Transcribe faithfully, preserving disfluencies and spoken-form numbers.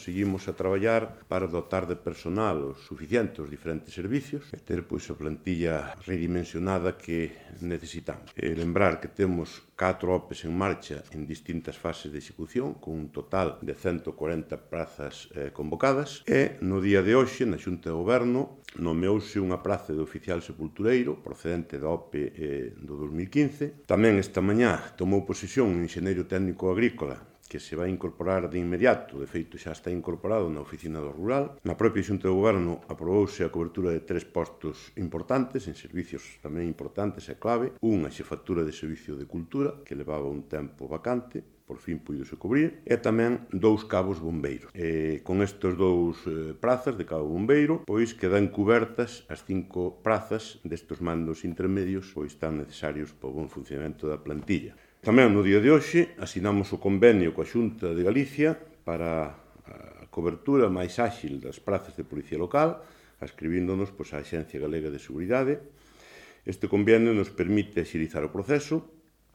seguimos a traballar para dotar de personal suficiente os diferentes servicios e ter pois, a plantilla redimensionada que necesitamos. E lembrar que temos catro O P Es en marcha en distintas fases de execución, con un total de ciento cuarenta prazas eh, convocadas, e no día de hoxe, na Xunta de Goberno, nomeouse unha praza de oficial sepultureiro procedente da O P E eh, do dos mil quince. Tamén esta mañá tomou posesión un enxeñeiro técnico agrícola que se vai incorporar de inmediato, de feito xa está incorporado na oficina do rural. Na propia Xunta de Goberno aprobouse a cobertura de tres postos importantes, en servicios tamén importantes e clave. Unha xefatura de servicio de cultura, que levaba un tempo vacante, por fin puidose cubrir, e tamén dous cabos bombeiros. E con estes dous eh, prazas de cabo bombeiro, pois quedan cubertas as cinco prazas destes mandos intermedios pois tan necesarios para o bon funcionamento da plantilla. Tamén no día de hoxe asinamos o convenio coa Xunta de Galicia para a cobertura máis áxil das prazas de policía local, ascribíndonos pois, á Axencia Galega de Seguridade. Este convenio nos permite axilizar o proceso